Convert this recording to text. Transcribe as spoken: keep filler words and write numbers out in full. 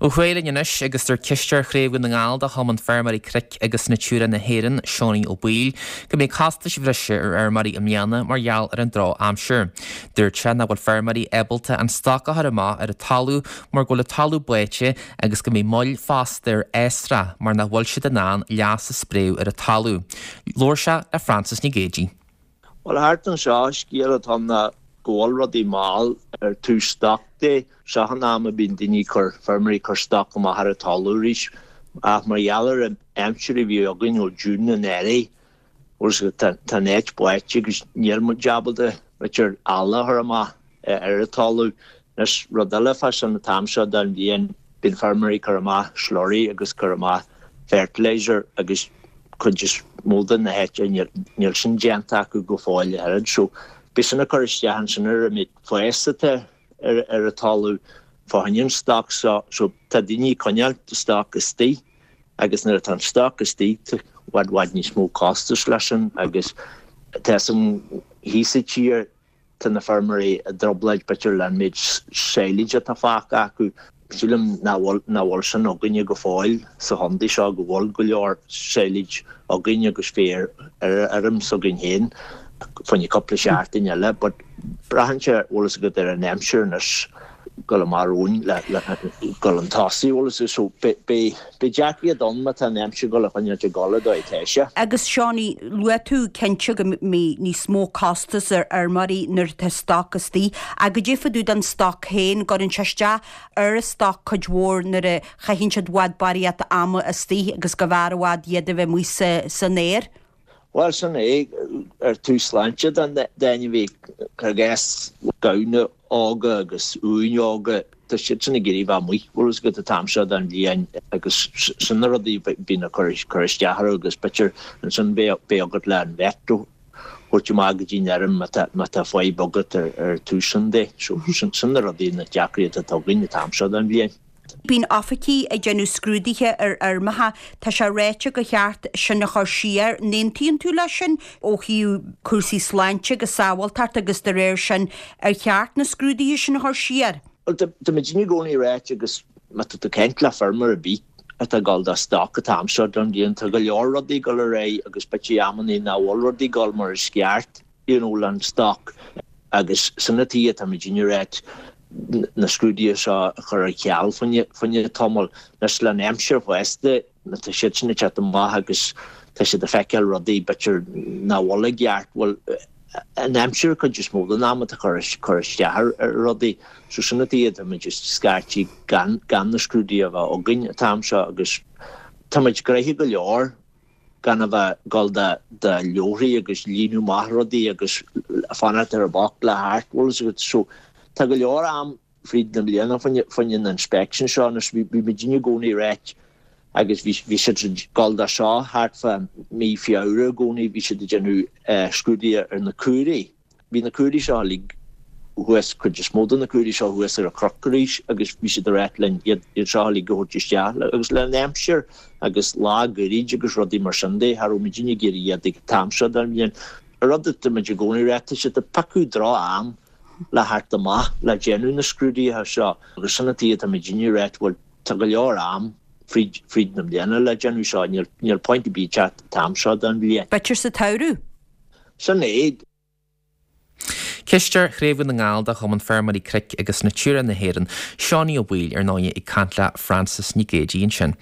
Ó thuaidh linn anois agus deir cisteoir Chraobh Dhún na nGall de Chumann Feirmeoirí Cnoic agus Natura na hÉireann, Seánie Ó Baoill, go mbeidh costais bhreise ar fheirmeoirí i mbliana mar gheall ar an drochaimsir. Dúirt sé nach bhfuil feirmeoirí ábalta an stoc a chur amach ar an talamh mar go bhfuil an talamh báite agus go mbeidh moill fosta ar fhásra mar nach bhfuil siad in ann leas a spréadh ar an talamh. Labhair sé le Frances Nic Géadaigh. Well thart anseo scéal atá ná go bhfuil rudaí mall ar tús stoc de seo an am a bíonn daoine cur feirmeoirí cur stoc amach ar an talamh arís ach mar gheall ar an aimsir a bhí againn ó June anuraidh tá an áit báite agus níl muid ábalta b'fhéidir eala a chur amach ar an talamh. Anois rud eile fá sin an t-am seo den bhliain bíonn feirmeoirí cur amach slurry agus cur amach fertilizer agus cuid is mó de na háite níl sin déanta acu go fóill a oiread so beidh sin ag cur isteach ansin ar an méid fás atá ar ar an talamh fá choinne an stoc so so tá daoine ag coinneáil stoc istigh agus nuair atá an stoc istigh tá i bhfad bhfad níos mó costais leis sin agus tá san thíos sa tír tá na feirmeoirí i dtrioblóid b'fhéidir le an méid silage atá fágtha acu. Sílim nach bhfuil nach bhfuil sin againne go fóill sa chontae seo go bhfuil go leor silage againn agus féar ar ar fheirm s'againn féin fá choinne cúpla seachtain eile but braitheann sé bhfuil fhios agat ar an aimsir anois dul amach romhainn le le dul chun tosaigh bhfuil fhios so beidh beidh deacracht ann má tá an aimsir dul a choinneáil ag dul an dóigh atá sé. Agus Seánie, luaigh tú cinnte go mbeidh níos mó costas ar fheirmeoirí nuair atá stoc istigh ach goidé fá dtaobh den stoc féin, gcuireann sé isteach ar an stoc cuid mhór nuair a chaitheann siad i bhfad barraíocht ama istigh agus go bhfearr i bhfad iad a bheith amuigh sa san aer. Bhuel sin é ar tús sláinte don d'ainmhí i gcás gamhna óga agus uain óga tá siad sin ag iarraidh bheith amuigh bhfuil fhios agat an t-am seo den bhliain agus sin na rudaí a bhíonn ag cur cur isteach orthu agus b'fhéidir ansin beidh beidh agat le an vet a thabhairt amach go dtí an fheirm má tá má tá fadhb agat ar ar tús sin de so sin sin na rudaí na deacrachtaí atá againn an t-am seo den bhliain. Bíonn oifigigh ag déanamh scrúduithe ar fheirmeacha, tá sé ráite gur cheart sin a chur siar. An aontaíonn tú leis sin ó thaobh cúrsaí sláinte agus sábháilteacht agus de réir sin ar cheart na scrúduithe sin a chur siar? Well tá muid i gcónaí ráite agus má tá tú ag caint le feirmeoir ar bith atá ag dul do stoc an t-am seo den bhliain tá go leor rudaí ag dul ar aghaidh agus b'fhéidir amannaí nach bhfuil rudaí ag dul mar is ceart you know le an stoc agus sin an tuige atá muid ag ráit na scrúduithe seo a chur ar ceal fá choinne tamall anois le an aimsir fosta tá siad sin ag teacht amach agus tá siad ag feiceáil rudaí b'fhéidir nach bhfuil i gceart bhfuil an aimsir cuid is mó den am atá cur cur isteach ar ar rudaí so sin an tuige tá muid just scaití gan gan na scrúduithe a bheith againn an t-am seo agus tá muid gnoitheach go leor gan a bheith dul de de leabharthaí agus líonadh amach rudaí agus fanacht ar an bpoc le thart bhfuil fhios agat so tá go leor am fríd na bliana fá choinne na inspection seo anois bhí bhí muid i gcónaí ráit agus bhí bhí siad ag dul do seo thart fá mí Feabhra i gcónaí bhí siad ag déanamh scrúduithe ar na caoirigh. Bhí na caoirigh seo uilig thuas cuid is mó de na caoirigh seo thuas ar an chnoc arís agus bhí siad ag ráit linn iad iad seo uilig a thabhairt isteach agus le an aimsir agus lá gairid agus rudaí mar sin de cha raibh muid ag iarraidh iad ag an t-am seo den bhliain. An rud atá muid i gcónaí ráit tá siad ag piocadh droch-am le theacht amach le déanamh na scrúduithe seo agus sin an tuige atá muid ag ráit bhuel tá go leor am fríd fríd na bliana le déanamh seo níl níl point ar bith teacht an t-am seo den bhliain. B'fhéidir sa tsamhradh. Sin é. Cisteoir Chraobh Dhún na nGall de Chumann Feirmeoirí Cnoic agus Natura na hÉireann, Seánie Ó Baoill ar ndóigh ag caint le Frances Nic Géadaigh ansin.